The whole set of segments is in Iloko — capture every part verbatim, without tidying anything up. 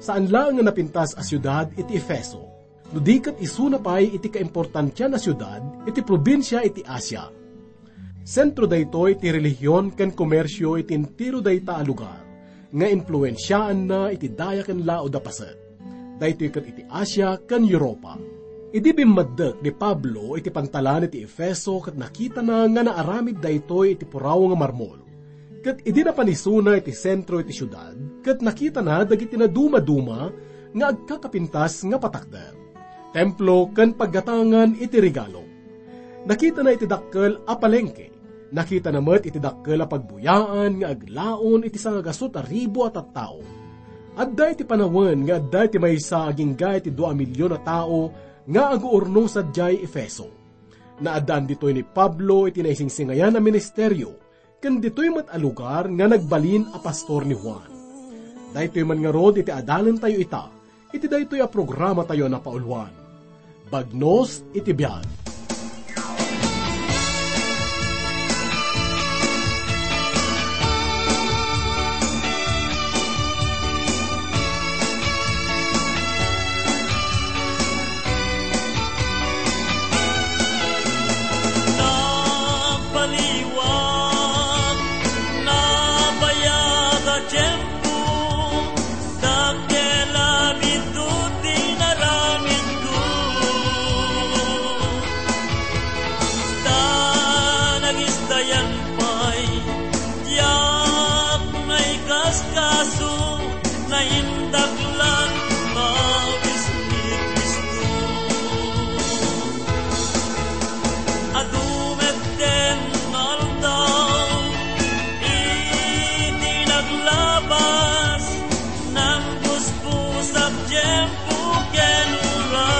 Saan laeng nga napintas a siudad iti Efeso, no di ket isuna pay iti kaimportantian a siudad iti probinsia iti Asia. Sentro daytoy ti relihion ken komersio iti entero dayta a lugar, nga impluensiaanna iti daya ken laud a paset. Daytoy ket iti Asia ken Europa. Idi bimmaddek ni Pablo iti pantalan iti Efeso ket nakitana nga naaramid daytoy iti puraw nga marmol. Ket idi napan isuna iti sentro iti siudad, ket nakitana dagiti nadumaduma nga agkakapintas nga patakder, templo ken paggatangan iti regalo. Nakitana iti dakkel a palengke. Nakitana met iti dakkel a pagbuyaan nga aglaon iti sangagasut a ribu a tattao. Adda iti panawen nga adda iti maysa agingga iti dua a milion a tao nga aguurno sadiay Efeso. Naaddaan ditoy ni Pablo iti naisingsingayan a ministerio, ken ditoy met a lugar nga nagbalin a pastor ni Juan. Daytoy man ngarud iti adalentayo ita, iti daytoy a programatayo a napauluan, Bagnos iti Biag. Nagpaliwag, nabayag a tiempo, dakkel a biddut ti inaramidko. Ta nagisdayan pay, diak naikaskaso, naindaklan, pawis ni Cristo. Adu met den nga aldaw, iti naglabas, nangpuspusak tiempo ken oras.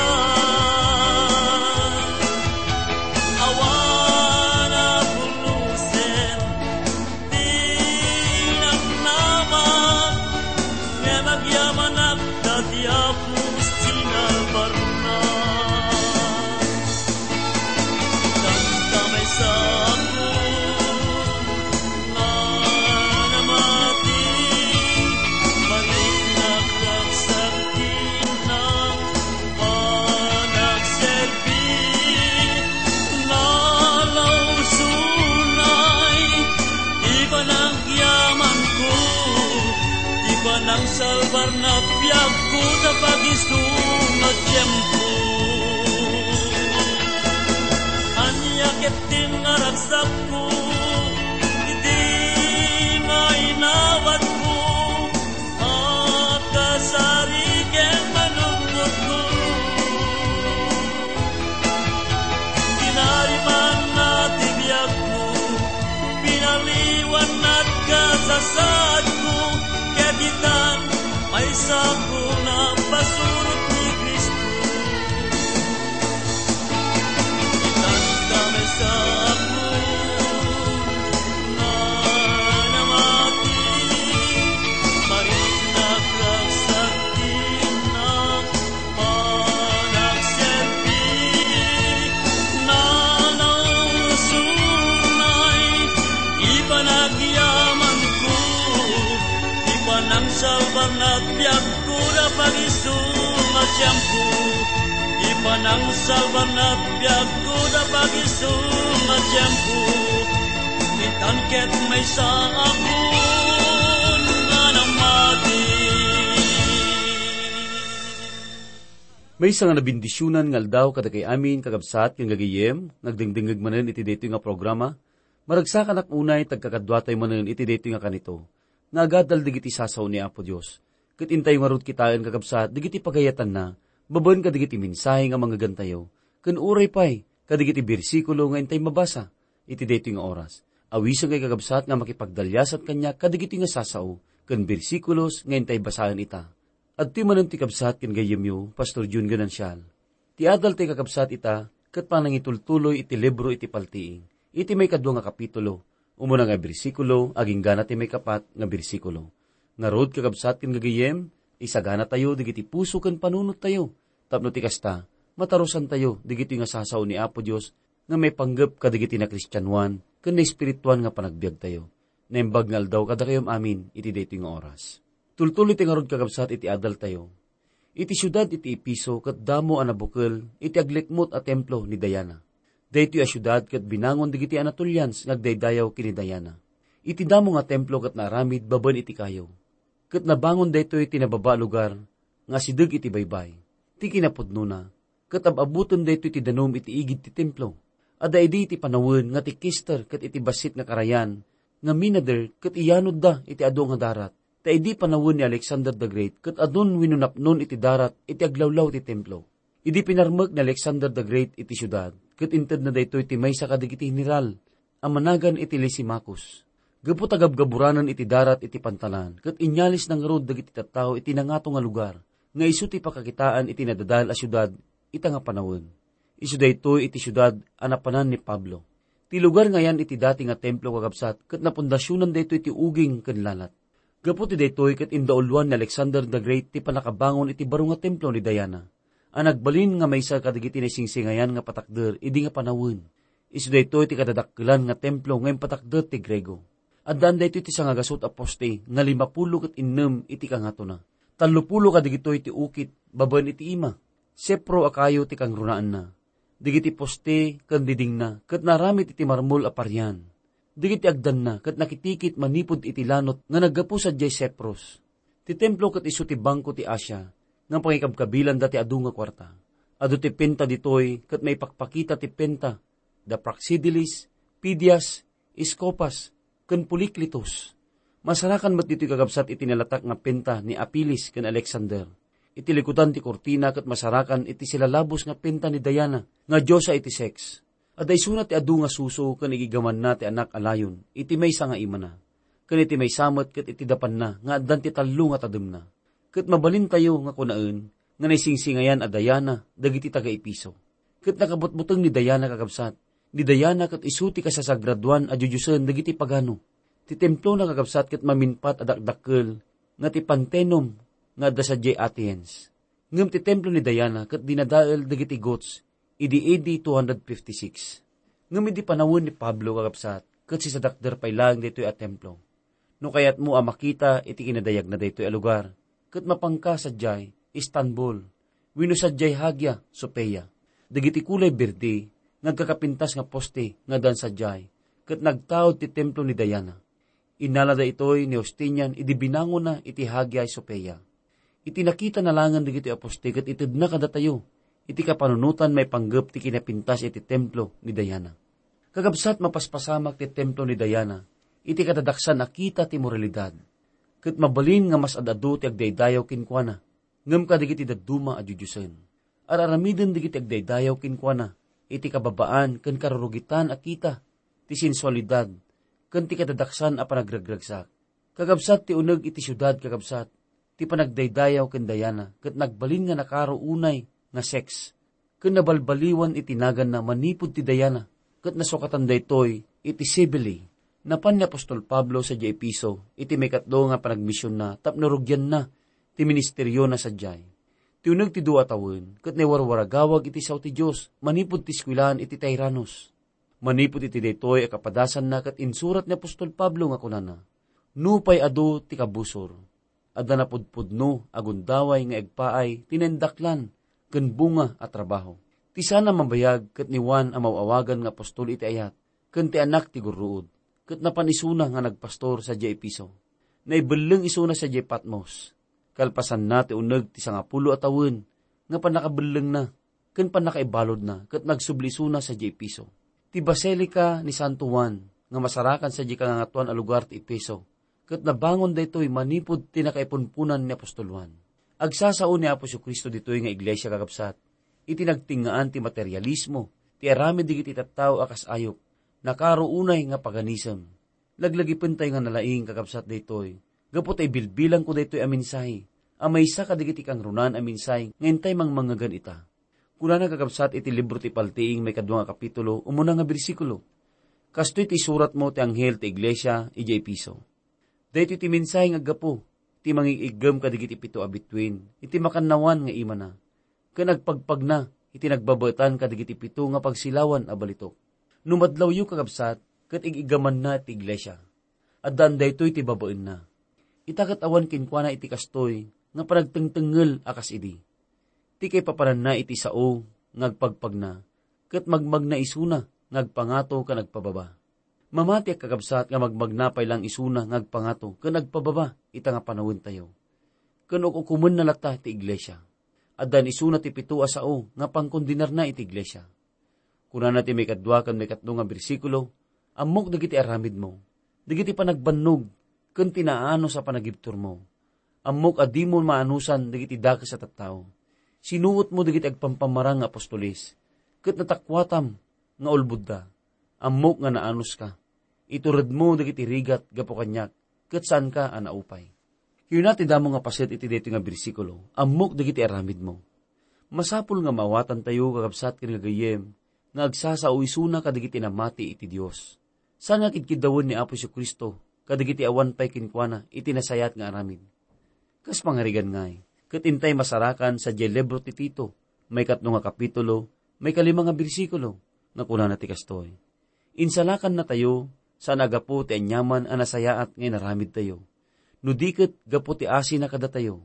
Awan a pulusen ti namnama, ngem agyamanak ta ti Apo sinalbarna. Tanta maysa a nga namati, mariknak ragsak ti innak panagserbi. Nalausunay ti panagyamanko, ti panangsalbar na biagko ta pagisu nga tiempo. Ania ket ti nga ragsakko, iti nga inawatko, a kasari ken manunotko. Tinarimanna ti biagko, pinaliwanna ti kasasaadko, ket itan, maysako napasurot ni Cristo. Itanta maysako nga namati, mariknak ragsak ti innak panagserbi. Nalausunay ti panagyamanko, ti panangsalbar na biag ko da pagisu nga tiempo, ti panangsalbar na biag ko da pagisu nga tiempo, itan ket maysa a kun nga namati. Maysa nga nabendisionan nga aldaw kadakay amin, kakabsat ken gagayyem, nga agdengdengngeg manen iti daytoy nga programa. Maragsakanak unay ta agkakaduatayo manen iti daytoy nga kanito, nga agadal dagiti sasao ni Apo Dios. Ket intayo ngarud kitaen, kakabsat, dagiti pagayatanna, babaen kadagiti mensahe nga mangngegantayo, ken uray pay kadagiti bersikulo nga intay mabasa iti daytoy nga oras. Awisenkayo, kakabsat, nga makipagdaliasat kaniak kadagitoy nga sasao ken bersikulos nga intay basaen ita. Adtoy manen ti kabsat ken gayyemyo, Pastor Jun Ganancial. Ti adal ti kakabsat ita ket panangitultuloy iti libro iti Paltiing, iti maikadua nga kapitulo, umuna nga bersikulo, agingga na ti maikapat nga bersikulo. Ngarud, kakabsat ken gagayyem, isaganatayo dagiti puso ken panunottayo, tapno ti kasta, matarusantayo dagitoy nga sasao ni Apo Dios nga maipanggep kadagiti nakristianoan ken naespirituan nga panagbiagtayo. Naimbag nga aldaw kadakayom amin iti daytoy nga oras. Tultuloy ti ngarud, kakabsat, iti adaltayo. Iti siudad iti Efeso ket damo a nabukel iti aglikmut a templo ni Diana. Daytoy a siudad ket binangon dagiti Anatolians nga agdaydayaw ken ni Diana. Iti damo nga templo ket naaramid babaen iti kayo. Ket nabangon daytoy ti nababa a lugar nga asideg iti baybay. Ti kinapudnona, ket ab-abuten daytoy ti danum iti igid ti templo. Adda idi iti panawen nga ti kister ket iti bassit nga karayan nga minader ket iyanodda iti adu nga darat. Ta idi panawen ni Alexander the Great ket adun wenno napnon iti darat iti aglawlaw ti templo. Idi pinarmek ni Alexander the Great iti siudad, ket intedna daytoy ti maysa kadagiti general a managan iti Lysimachus. Gapu ta gabgaburanen iti darat iti pantalan, ket inyalisna ngarud dagiti tattao iti nangato nga lugar, nga isu ti pakakitaan iti nadadael a siudad ita nga panawen. Isu daytoy iti siudad a napanan ni Pablo. Ti lugar nga ayan iti dati nga templo, kakabsat, ket napundasionan daytoy ti uging ken lalat. Gapu ti daytoy ket indauluan ni Alexander the Great ti pannakabangon iti baro nga templo ni Diana, a nagbalin nga maysa kadagiti naisingsingayan nga patakder idi nga panawen. Isu daytoy ti kadadakkelan nga templo nga impatakder ti Griego. Addaan daytoy ti sangagasut a poste nga limapulo ket innem iti kangatona. Tallopulo kadagitoy ti ukit babaen iti ima. Sepro a kayo ti kangrunaanna. Dagiti poste ken didingna ket naaramid iti marmol a parian. Dagiti agdanna ket nakitikit manipud iti lanot nga naggapu sadiay Cyprus. Ti templo ket isu ti bangko ti Asia nga pangikabkabilanda ti adu nga kuarta. Adu ti penta ditoy ket maipakpakita ti penta da Praxiteles, Phidias, Scopas, ken Policletus. Masarakan met ditoy, kakabsat, iti nalatak nga penta ni Apiles ken Alexander. Iti likudan ti kurtina ket masarakan iti silalabos nga penta ni Diana nga diosa iti sex. Adda isuna ti adu nga suso ken igigamanna ti anak a layon iti maysa nga imana, ken iti maysa met ket iti dapanna nga addan ti tallo nga tademna. Ket mabalintayo nga kunaen nga naisingsingayan a Diana dagiti taga-Efeso. Ket nakabutbuteng ni Diana, kakabsat. Ni Diana ket isu ti kasasagradoan a diodiosen dagiti pagano. Ti templona, kakabsat, ket mamingpat a dakdakkel nga ti Pantheon nga adda sadiay Athens. Ngem ti templo ni Diana ket dinadael dagiti Goths idi A D two hundred fifty-six. Ngem idi panawen ni Pablo, kakabsat, ket sisadakder pay laeng daytoy a templo. No kayatmo a makita iti kinadayagna daytoy a lugar, ket mapanka sadiay Istanbul, wenno sadiay Hagia Sophia. Dagiti kulay berde nga agkakapintas nga poste nga addan sadiay, ket nagtaud ti templo ni Diana. Innala daytoy ni Justinian idi binangonna iti Hagia Sophia. Iti nakitana laengen dagiti aposte ket itedna kadatayo iti kapanunotan maipanggep ti kinapintas iti templo ni Diana. Kakabsat, mapaspasamak ti templo ni Diana iti kadadaksan a kita ti moralidad, ket mabalin nga mas ad-adu ti agdaydayaw kenkuana, ngem kadagiti dadduma a diodiosen. Ar-aramiden dagiti agdaydayaw kenkuana iti kababaan ken karurugitan a kita ti sensualidad ken ti kadadaksan a panagregragsak. Kakabsat, ti uneg iti siudad, kakabsat, ti panagdaydayaw ken Diana ket nagbalin nga nakaro unay nga sex ken nabalbaliwan iti naganna manipud ti Diana, ket nasukatan daytoy iti Cybele. Napan ni apostol Pablo sadiay Efeso iti maikatlo nga panagmisionna tapno rugianna ti ministeriona sadiay. Ti uneg ti dua a tawen ket naiwarwaragawag iti sao ti Dios manipud ti eskuelaan iti Tyrannus. Manipud iti daytoy a kapadasanna ket insurat ni apostol Pablo nga kunana, "Nupay adu ti kabusor, adda napudpudno a gundaway nga agpaay ti naindaklan ken bunga a trabaho." Ti saan a mabayag ket ni Juan a maaw-awagan nga apostol iti ayat, ken ti anak ti gurruod, ket napan isuna nga nagpastor sadiay Efeso. Naibelleng isuna sadiay Patmos. Kalpasanna ti uneg ti sangapulo a tawen nga pannakabellengna ken pannakaibaludna ket nagsubli isuna sadiay Efeso. Ti Basilica ni Santo Juan nga masarakan sadiay kangangatoan a lugar ti Efeso, ket nabangon daytoy manipud ti nakaipunpunan ni apostol Juan. Agsasao ni Apo Jesu-Cristo ditoy nga iglesia, kakabsat, iti nagtingngaan ti materialismo, ti aramid dagiti tattao a kas ayup, nakaro unay nga paganism. Laglagipentayo nga nalaing, kakabsat, daytoy. Gapu ta ibilbilangko daytoy a mensahe a maysa kadagiti kangrunan a mensahe nga intay mangmangngegan ita. Kunana, kakabsat, iti libro ti Paltiing maikadua nga kapitulo, umuna nga bersikulo, "Kastoy ti isuratmo ti anghel ti iglesia idiay Efeso. Daytoy ti mensahe nga aggapu ti mangig-iggem kadagiti pito a bituen iti makannawan nga imana, ken agpagpagna iti nagbabaetan kadagiti pito nga pagsilawan a balitok. No madlawyo, kakabsat, ket ig-igamanna ti iglesia, addaan daytoy ti babaenna. Ita ket awan kenkuana iti kastoy nga panagtengtengngel a kas idi. Ti kaipapananna iti sao nga agpagpagna, ket magmagna isuna nga agpangato ken agpababa. Mamati a kakabsat nga magmagna pay lang isuna nga agpangato ken agpababa ita nga panawentayo. Ken uk-ukomenna latta ti iglesia. Addan isuna ti pito a sao nga pangkondenarna iti iglesia. Kunana ti maikadua ken maikatlo nga bersikulo, "Ammok dagiti aramidmo, dagiti panagbannog, ken ti naanus a panagibturmo. Ammok a dimo maanusan dagiti dakes a tattao. Sinuotmo dagiti agpampamarang nga apostoles, ket natakuatam nga ulbodda. Ammok nga naanuska. Ituredmo dagiti rigat gapu kaniak, ket saanka a naupay." Kuna ti damo nga paset iti daytoy nga bersikulo, "Ammok dagiti aramidmo." Masapul nga maawatantayo, kakabsat ken gagayyem, nga agsasao isuna kadagiti namati iti Dios. Saan nga kidkiddawen ni Apo Jesu-Cristo kadagiti awan pay kenkuana iti nasayaat nga aramid? Kas pangarigan ngay, ket intay masarakan sadiay libro ti Tito, maikatlo nga kapitulo, maikalima nga bersikulo, nga kunana ti kastoy, "Insalakannatayo, saan a gapu ti aniaman a nasayaat nga inaramidtayo, no di ket gapu ti asina kadatayo.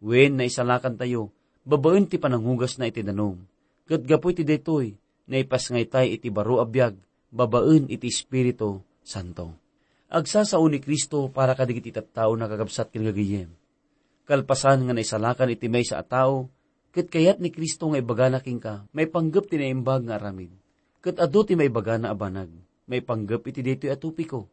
Wen, naisalakantayo babaen ti panangugasna iti danum, ket gapu iti daytoy, naipasngaytay iti baro a biag babaen iti Espiritu Santo." Agsasao ni Cristo para kadagiti tattaona, kakabsat ken gagayyem. Kalpasan nga naisalakan iti maysa a tao, ket kayat ni Cristo nga ibagana kenka maipanggep ti naimbag nga aramid. Ket adu ti maibagana a banag maipanggep iti daytoy a topiko.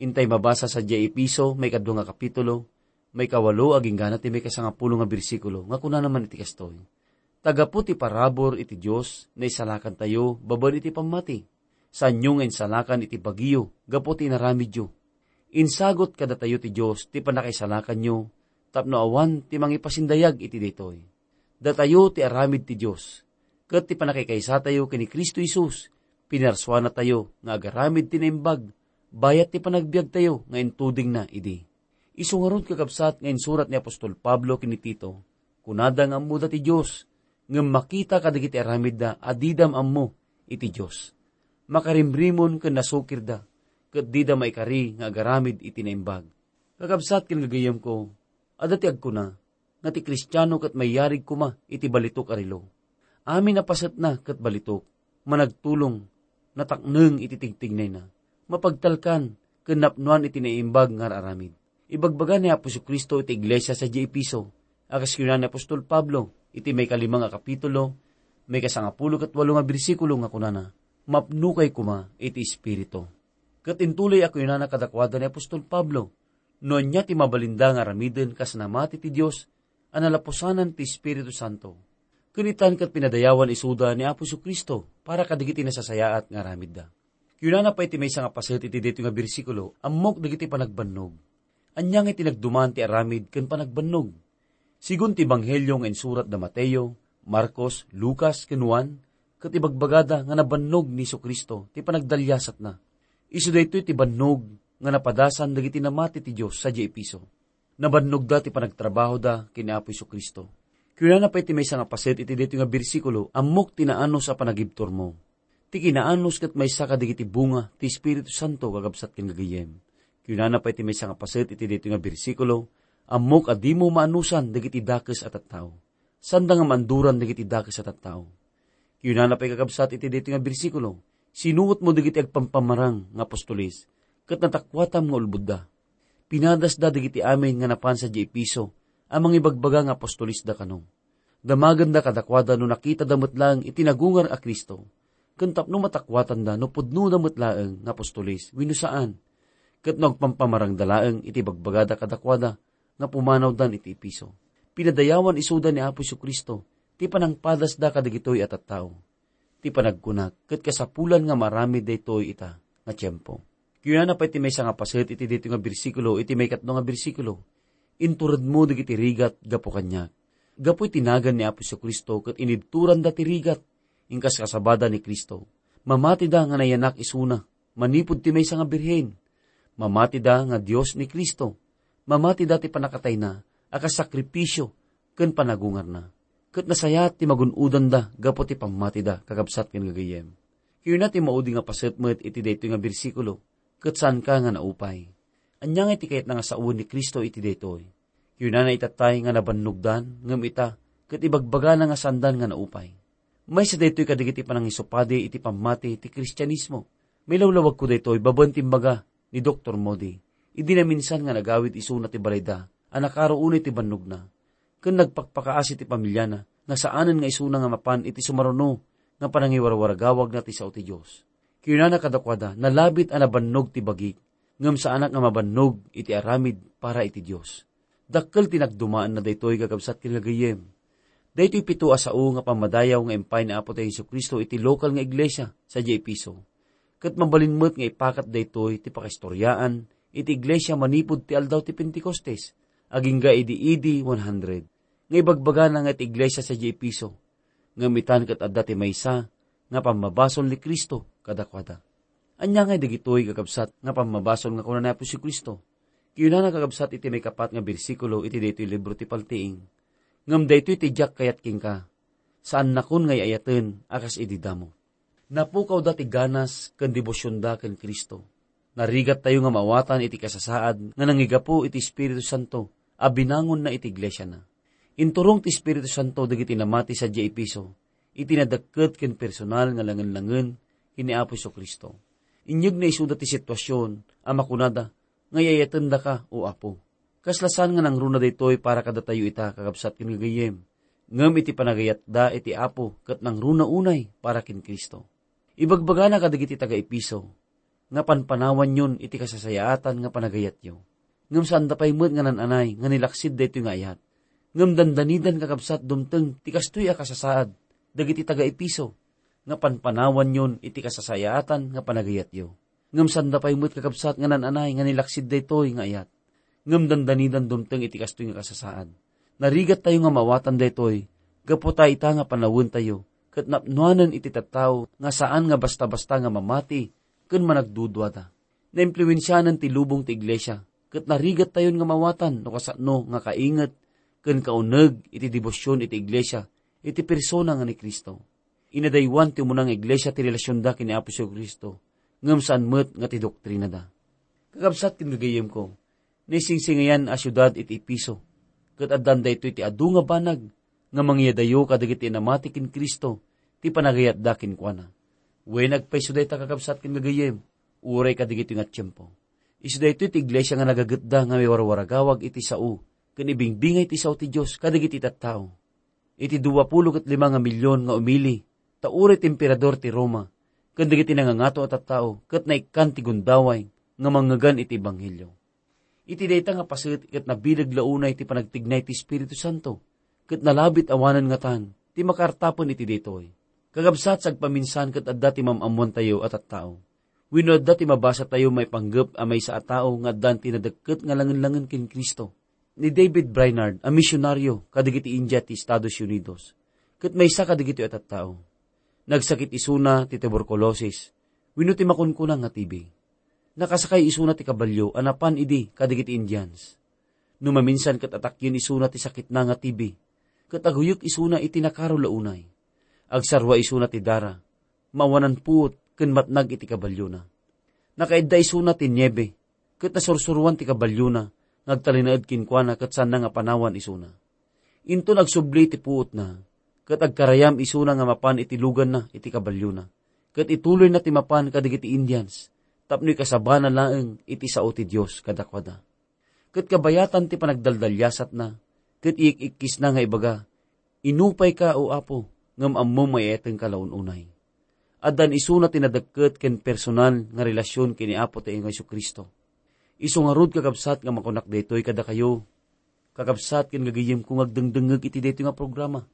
Intay mabasa sadiay Efeso, maikadua nga kapitulo, maikawalo agingga ti maikasangapulo nga bersikulo, nga kunana man iti kastoy, "Ta gapu ti parabur iti Dios, naisalakantayo babaen iti pammati. Saanyo nga insalakan iti bagiyo gapu ti inaramidyo. Insagut kadatayo ti Dios ti pannakaisalakanyo tapno awan ti mangipasindayag iti daytoy. Datayo ti aramid ti Dios, ket ti pannakaikaysatayo ken ni Cristo Jesus, pinarsuanatayo nga agaramid ti naimbag bayat ti panagbiagtayo nga intudingna idi." Isu ngarud, kakabsat, nga insurat ni apostol Pablo ken ni Tito, kunada nga ammoda ti Dios, ngem makita kadagiti aramidda a dida ammo iti Dios. Makarimrimon ken nasukirda, ket dida maikari nga agaramid iti naimbag. Kakabsat ken gagayyemko, adda ti agkuna nga ti Kristiano ket mayarig koma iti balitok a relo. Amin a pasetna ket balitok, managtulong, natakneng iti tigtignayna, mapagtalkan ken napnoan iti naimbag nga ar-aramid. Ibagbaga ni Apo Jesu-Cristo iti iglesia sadiay Efeso, a kas kuna ni apostol Pablo iti maikalima nga kapitulo, maikasangapulo ket walo nga bersikulo, nga kunana, "Mapnokay koma iti Espiritu." Ket intuloy a kunana kadakuada ni apostol Pablo, no ania ti mabalinda nga aramiden kas namati ti Dios a nalapusanan ti Espiritu Santo. Ken itan ket pinadayawan isuda ni Apo Jesu-Cristo para kadagiti nasasayaat nga aramidda. Kunana pay ti maysa nga paset iti daytoy nga bersikulo, "Ammok dagiti panagbannog." Ania nga itinagduman ti aramid ken panagbannog? Sigun ti ebanghelio nga insurat da Mateo, Marcos, Lucas, ken Juan, ket ibagbagada nga nabannog ni Jesu-Cristo ti panagdaliasatna. Isu daytoy ti bannog nga napadasan dagiti namati ti Dios sadiay Efeso. Nabannogda ti panagtrabahoda ken ni Apo Jesu-Cristo. Kunana pay ti maysa nga paset iti daytoy nga bersikulo, "Ammok ti naanus a panagibturmo." Ti kinaanus ket maysa kadagiti bunga ti Espiritu Santo, kakabsat ken gagayyem. Kunana pay ti maysa nga paset iti daytoy nga bersikulo, "Ammok a dimo maanusan dagiti dakes a tattao." Saanda nga maanduran dagiti dakes a tattao. Kunana pay, kakabsat, iti daytoy nga bersikulo, "Sinuotmo dagiti agpampamarang nga apostoles, ket natakuatam nga ulbodda." Pinadasda dagiti amin nga napan sadiay Efeso a mangibagbaga nga apostolesda kano. Damagenda kadakuada no nakitada met laeng iti nagungar a Cristo, ken tapno matakuatanda no pudnona met laeng nga apostoles wenno saan, ket no agpampamarangda laeng iti bagbagada kadakuada nga pumanawdan iti Efeso. Pinadayawan isuda ni Apo Jesu-Cristo ti panangpadasda kadagitoy a tattao. Ti panagkunak ket kasapulan nga maaramid daytoy ita nga tiempo. Kunana pay ti maysa nga paset iti daytoy nga bersikulo, iti maikatlo nga bersikulo, "Inturedmo dagiti rigat gapu kaniak." Gapu iti nagan ni Apo Jesu-Cristo ket inibturanda ti rigat, inkas kasabada ni Cristo. Mamatida nga nayanak isuna manipud ti maysa nga birhen. Mamatida nga Dios ni Cristo. Mamatida ti pannakatayna a kas sakripisio ken panagungarna. Ket nasayaat ti magun-odanda gapu ti pammatida, kakabsat ken gagayyem. Kuna ti maudi nga paset met iti daytoy nga bersikulo, "Ket saanka nga naupay." Ania ngay ti kayatna nga sawen ni Cristo iti daytoy? Kinunana itattay nga nabannogdan, ngem ita, ket ibagbagana nga saandan nga naupay. Maysa daytoy kadagiti panangisupadi iti pammati ti Kristianismo. Mailawlawagko daytoy babaen ti imbaga ni Doktor Moody, idi naminsan nga nagawid isuna ti balayda a nakaro unay ti bannogna, ken nagpakpakaasi ti pamiliana nga saanen nga isuna nga mapan iti sumaruno nga panangiwarwaragawagna ti sao ti Dios. Kinunana kadakuada, "Nalabit a nabannog ti bagik, ngem saanak nga mabannog iti aramid para iti Dios." Dakkel ti nagdumaenna daytoy, kakabsat ken gagayyem. Daytoy pito a sao nga pammadayaw nga impay ni Apo tayo Jesu-Cristo iti lokal nga iglesia sadiay Efeso. Ket mabalin met nga ipakat daytoy ti pakaistoriaan iti iglesia manipud ti aldaw ti Pentecostes, agingga idi A D one hundred, nga ibagbagana nga iti iglesia sadiay Efeso. Ngem itan ket adda ti maysa nga pammabasol ni Cristo kadakuada. Ania ngay dagitoy, kakabsat, nga pammabasol nga kuna ni Apo Jesu-Cristo? Kinunana, kakabsat, iti maikapat nga bersikulo iti daytoy libro ti Paltiing, "Ngem daytoy ti diak kayat kenka, saannakon nga ay-ayaten a kas idi damo." Napukawda ti ganas ken debosionda ken Cristo. Narigattayo nga maawatan iti kasasaad nga nangigapu iti Espiritu Santo a binangonna iti iglesiana. Inturong ti Espiritu Santo dagiti namati sadiay Efeso iti nadekket ken personal nga langen-langen ken ni Apo Jesu-Cristo. Inyegna isuda ti situasion a makunada nga, "Ay-ayatendaka, O Apo." Kasla saan nga nangruna daytoy para kadatayo ita, kakabsat ken gagayyem, ngem iti panagayatda iti Apo ket nangruna unay para ken Cristo. Ibagbagana kadagiti taga-Efeso nga panpanawanyon iti kasasayaatan nga panagayatyo. Ngem saanda pay met nga nan-anay nga nilaksid daytoy nga ayat. Ngem dandanidan, kakabsat, dumteng ti kastoy a kasasaad dagiti taga-Efeso nga panpanawanyon iti kasasayaatan nga panagayatyo. Ngem saanda pay met, kakabsat, nga nan-anay nga nilaksid daytoy nga ayat. Ngem dandanidan dumteng iti kastoy nga kasasaad. Narigattayo nga maawatan daytoy gapu ta ita nga panawentayo ket napnoanen iti tattao nga saan nga basta-basta nga mamati ken managduduada. Naimpluensianen ti lubong ti iglesia, ket narigattayon nga maawatan no kasano nga kainget ken kauneg iti debosion iti iglesia iti persona nga ni Cristo. Inadaywan ti umuna nga iglesia ti relasionda ken ni Apo Jesu-Cristo, ngem saan met nga ti doktrinada. Kakabsat ken gagayyemko, naisingsingayan a siudad iti Efeso, ket addan daytoy ti adu nga banag nga mangiyadayo kadagiti namati ken Cristo ti panagayatda kenkuana. Wen, agpayso dayta, kakabsat ken gagayyem, uray kadagitoy nga tiempo. Isu daytoy ti iglesia nga nagagetda nga miwarwaragawag iti sao ken ibingbingay ti sao ti Dios kadagiti tattao. Iti duapulo ket lima nga milion nga umili, ta uray ti emperador ti Roma ken dagiti nangangato a tattao ket naikkan ti gundaway nga mangngegan iti ebanghelio. Iti dayta nga paset ket nabileg la unay ti panagtignay ti Espiritu Santo, ket nalabit awanen ngatan ti makaartapen iti daytoy. Kakabsat, sagpaminsan ket adda ti mam-ammoantayo a tattao. Wenno adda ti mabasatayo maipanggep a maysa a tao nga addan ti nadekket nga langen-langen ken Cristo. Ni David Brainerd a misionaryo kadagiti India ti Estados Unidos, ket maysa kadagitoy a tattao. Nagsakit isuna ti tuberculosis wenno ti makunkuna nga T B. Nakasakay isuna ti kabalio a napan idi kadagiti Indians. No maminsan ket atakyen isuna ti sakitna nga T B, ket aguyek isuna iti nakaro la unay. Agsarrua isuna ti dara, maawanan puot ken matnag iti kabaliona. Nakaidda isuna ti niebe, ket nasursuroan ti kabaliona nga agtalinaed kenkuana ket saanna nga panawan isuna. Inton agsubli ti puotna, ket agkarayam isuna nga mapan iti luganna iti kabaliona, ket ituloyna ti mapan kadagiti Indians tapno ikasabana laeng iti sao ti Dios kadakuada. Ket kabayatan ti panagdaldaliasatna, ket iyik-ikkisna nga ibaga, "Inupayka, O Apo, ngem ammom nga ay-ayatenka la un-unay." Addan isuna ti nadekket ken personal nga relasion ken ni Apo tayo nga Jesu-Cristo. Isu ngarud, kakabsat, nga makunak daytoy kadakayo, kakabsat ken gagayyemko nga agdengdengngeg iti daytoy nga programa,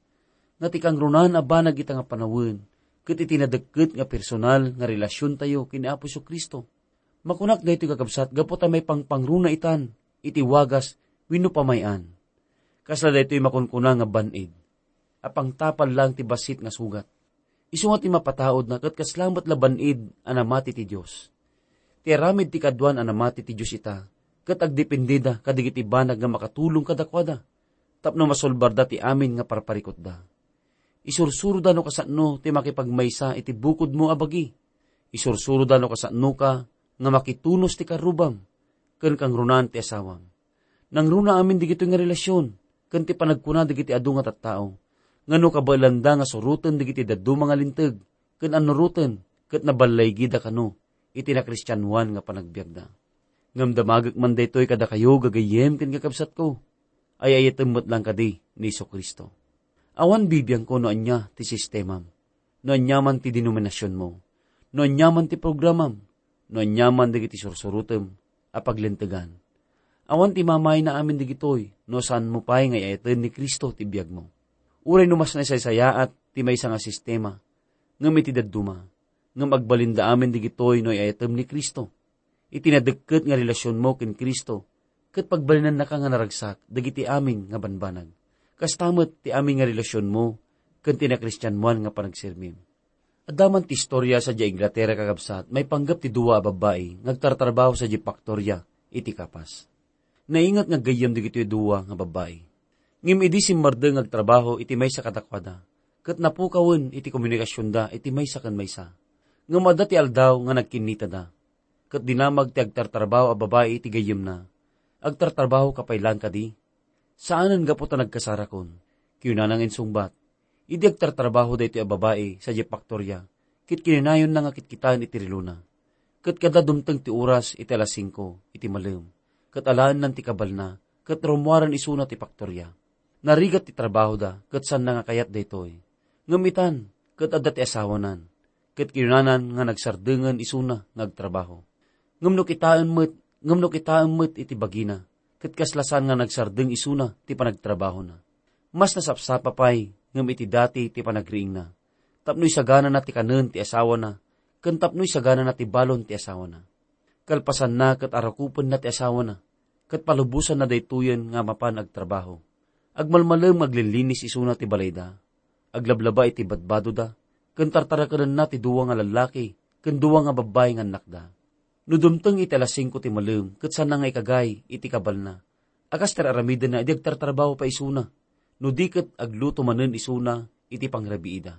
nga ti kangrunaan a banag ita nga panawen ket iti nadekket nga personal nga relasiontayo ken ni Apo Jesu-Cristo. Makunak daytoy, kakabsat, gapu ta maipangpangruna itan iti wagas wenno pamay-an. Kasla daytoy makunkuna nga ban-id a pangtapal laeng ti bassit nga sugat. Isu nga ti mapataudna ket kasla met la ban-id a namati ti Dios. Ti aramid ti kaduan a namati ti Dios ita ket agdependeda kadagiti banag nga makatulong kadakuada tapno masulbarda ti amin nga parparikutda. Isursuroda no kasano ti makipagmaysa iti bukodmo a bagi. Isursuroda no kasanoka nga makitunos ti karrubam. ken kangrunaan ti asawam. Nangruna amin dagitoy nga relasion ken ti panagkuna dagiti adu nga tattao nga no kabaelanda nga suroten dagiti dadduma nga linteg ken annuroten ket naballaygida kano iti nakristianoan nga panagbiagda. Ngem damagek man daytoy kadakayo, gagayyem ken kakabsatko. Ay-ayatem met lang kadi ni Jesu-Cristo. Awan bibiangko no ania ti sistemam, no aniaman ti denominasionmo, no aniaman ti programam, no aniaman dagiti sursurotem a paglintegan. Awan ti mamayna amin dagitoy no saanmo pay nga ay-ayaten ni Cristo ti biagmo. Uray no mas naisaysayaat ti maysa nga sistema, ngem iti dadduma, ngem agbalinda amin dagitoy no ay-ayatem ni Cristo. Iti nadekket nga relasionmo ken Cristo, ket pagbalinannaka nga naragsak dagiti amin nga banbanag. Kasta met ti amin nga relasionmo ken ti nakristianoan nga panagserbim. Adda man ti istoria sadiay Inglaterra, kakabsat, maipanggep ti dua a babbai nga agtartrabaho sadiay faktoria iti kapas. Nainget nga aggayyem dagitoy dua nga babbai. Ngem idi simmardeng nga agtrabaho iti maysa kadakuada, ket napukawen iti komunikasionda iti maysa ken maysa. Ngem adda ti aldaw nga nagkinnitada. Ket dinamag ti agtartrabaho a babai iti gayyemna. "Agtartrabaho ka pay laeng kadi?" "Saanen, gapu ta nagkasarakon," kinunana nga insungbat. Idi agtartrabaho daytoy a babai sadiay faktoria, ket kinunayonna nga kitkitaen iti relona. Ket kada dumteng ti oras iti alas singko iti malem, ket alaennan ti kabalna, ket rummuaren isuna ti faktoria. Narigat ti trabahoda, ket saanna nga kayat daytoy. Ngem itan, ket adda ti asawanan, ket kinunanan nga nagsardengen isuna nga agtrabaho. Ngem no kitaen met, ngem no kitaen met iti bagina, ket kasla saan nga nagsardeng isuna ti panagtrabahona. Mas nasapsapa pay ngem iti dati ti panagriingna, tapno isaganana ti kanen ti asawana, ken tapno isaganana ti balon ti asawana. Kalpasanna, ket arakupenna ti asawana, ket palubosanna daytoyen nga mapan agtrabaho. Agmalmalem nga aglilinis isuna ti balayda, aglablaba iti badbadoda, ken tartarakenenna ti dua nga lallaki ken dua nga babbai nga annakda. No dumteng iti alas singko ti malem, ket saanna nga ikagay iti kabalna a kas ti ar-aramidenna idi agtartrabaho pay isuna, no di ket agluto manen isuna iti pangrabiida.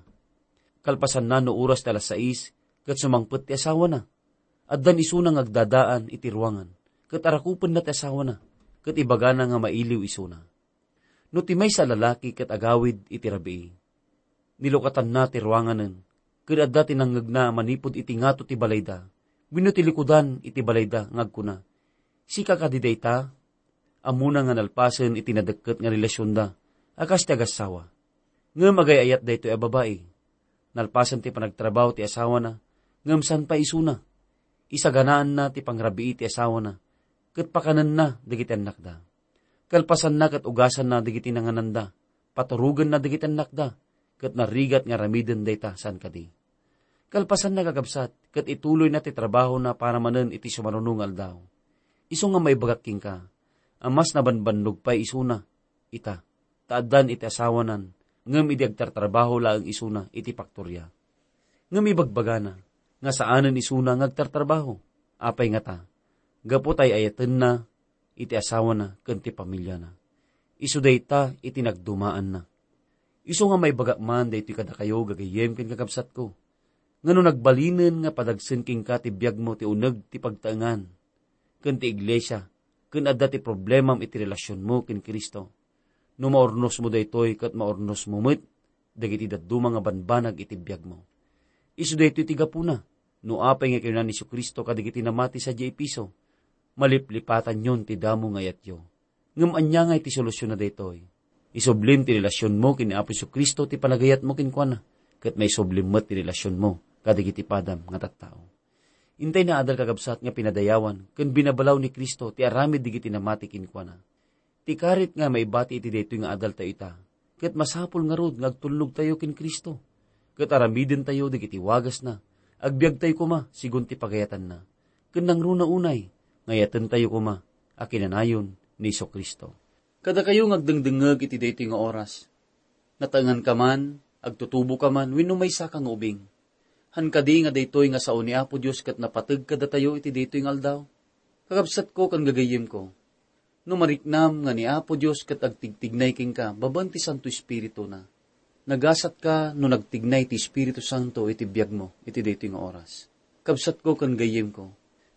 Kalpasanna, no oras ti alas sais, ket sumangpet ti asawana. Addan isuna nga agdadaan iti ruangan, ket arakupenna ti asawana, ket ibagana nga mailiw isuna. No ti maysa a lalaki ket agawid iti rabii, nilukatanna ti ruanganen, ket adda ti nangngegna manipud iti ngato ti balayda wenno ti likudan iti balayda nga agkuna, "Sika kadi dayta?" Ammona nga nalpasen iti nadekket nga relasionda a kas ti agassawa. Ngem agay-ayat daytoy a babai. Nalpasen ti panagtrabaho ti asawana, ngem saan pay isuna. Isaganaanna ti pangrabii ti asawana, ket pakanenna dagiti annakda. Kalpasanna, ket ugasanna dagiti nangananda, paturogenna dagiti annakda, ket narigat nga aramiden dayta saan kadi. Kalpasanna, kakabsat, ket ituloyna ti trabahona para manen iti sumaruno nga aldaw. Isu nga maibagak kenka, a mas nabanbannog pay isuna ita, ta addan iti asawanan, ngem idi agtartrabaho laeng isuna iti paktoria. Ngem ibagbagana nga saanen isuna nga agtartrabaho. Apay ngata? Gapu ta ay-ayatenna iti asawana ken ti pamiliana. Isu dayta iti nagdumaanna. Isu nga maibagak man daytoy kadakayo, gagayyem ken kakabsatko, nga no nagbalinen nga padagsen kenka ti biagmo ti uneg ti pagtaengan ken ti iglesia, ken adda ti problemam iti relasionmo ken Cristo, no maurnosmo daytoy, ket maurnosmo met dagiti dadduma nga banbanag iti biagmo. Isu daytoy ti gapuna no apay nga kinuna ni Jesu-Cristo kadagiti namati sadiay Efeso, "Maliplipatanyon ti damo nga ayatyo." Ngem ania nga iti solutionna daytoy? Isublim ti relasionmo ken ni Apo Jesu-Cristo ti panagayatmo kenkuana, ket maisublim met ti relasionmo kadagiti padam nga tattao. Intay naadal, kakabsat, nga pinadayawan ken binabalaw ni Cristo ti aramid dagiti namati kenkuana. Ti karit nga maibati iti daytoy nga adaltayo ita, ket masapul ngarud nga agtulnogtayo ken Cristo, ket aramidentayo dagiti wagasna, agbiagtayo koma sigun ti pagayatanna, ken nangruna unay nga ayatentayo koma a kinanayon ni Jesu-Cristo. Kadakayo nga agdengdengngeg iti daytoy nga oras, nataenganka man, agtutuboka man, wenno maysaka nga ubing. Han kadi nga daytoy nga sao ni Apo Dios ket napateg kadatayo iti daytoy nga aldaw? Kakabsatko ken gagayyemko, no mariknam nga ni Apo Dios ket agtigtignay kenka babaen ti Santo Espirituna, nagasatka no nagtignay ti Espiritu Santo iti biagmo iti daytoy nga oras. Kabsatko ken gayyemko,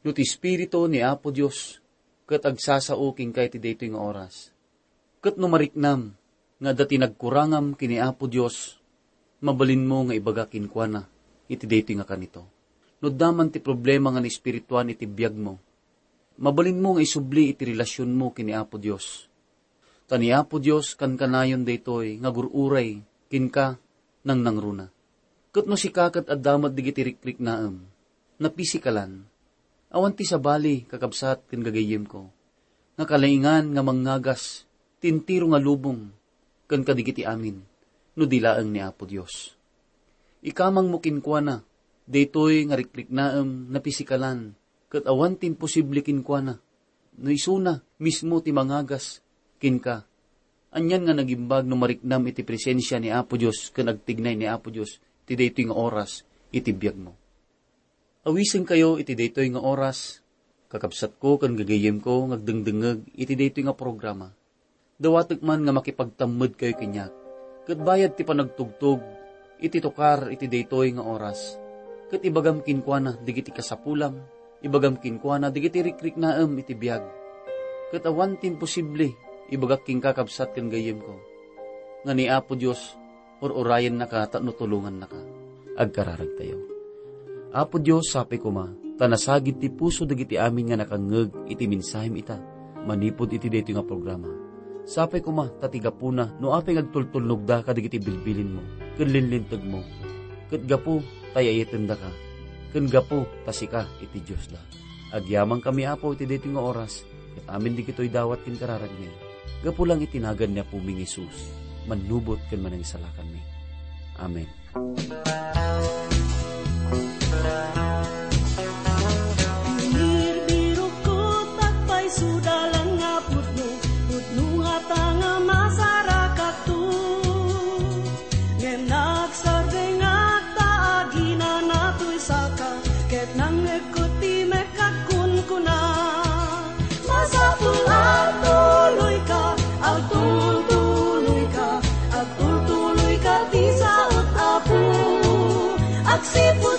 no ti Espiritu ni Apo Dios ket agsasao kenka iti daytoy nga oras. Ket no mariknam nga adda ti nagkurangam ken ni Apo Dios, mabalinmo nga ibaga kenkuana iti daytoy nga kanito. No adda man ti problema nga naespirituan iti biagmo, mabalinmo nga isubli iti relasionmo ken ni Apo Dios. Ta ni Apo Dios kankanayon daytoy nga agur-uray kenka nangnangruna. Ket no sika ket adda met dagiti rikriknaem, napisikalan, awan ti sabali, kakabsat ken gagayyemko, nga kalaingan nga mangngagas ti entero nga lubong ken kadagiti amin no di laeng ni Apo Dios. Ikamangmo kenkuana daytoy nga rikriknaem, napisikalan, ket awan ti imposible kenkuana. No isuna mismo ti mangagas kenka, anian nga nagimbag no mariknam iti presensia ni Apo Dios ken agtignay ni Apo Dios ti daytoy nga oras iti biagmo. Awisenkayo iti daytoy nga oras, kakabsatko ken gagayyemko nga agdengdengngeg iti daytoy nga programa. Dawatek man nga makipagtammedkayo kaniak, ket bayad ti panagtugtog iti tukar iti daytoy nga oras, ket ibagam kenkuana dagiti kasapulam, ibagam kenkuana dagiti rikriknaem iti biag. Ket awan ti imposible, ibagak kenka, kabsat ken gayyemko, nga ni Apo Dios, ur-urayennaka tapno tulongannaka. Agkararagtayo. Apo Dios, sapay koma ta nasagid ti puso dagiti amin nga nakangngeg iti mensahem ita manipud iti daytoy nga programa. Sapay koma ta ti gapuna no apay nga agtultulnogda kadagiti bilbilinmo ken linlintegmo, ket gapu ta ay-ayatendaka, ken gapu ta sika iti Diosda. Agyamankami, Apo, iti daytoy nga oras, ket amin dagitoy dawat ken kararagmi. Gapu lang iti nagan ni Apomi nga Jesus, mannubot ken manangsalakanmi. Amen. Birbirokko, tapay suda lang nga pudno, pudno ngata nga masarakakto. Ngem nagsardengak ta aginanatoysaka, ket nangngegko ti mekka kunkuna. Masapul agtuloyka, agtultuloyka, agtultuloyka ti saot, Apo. Agsipud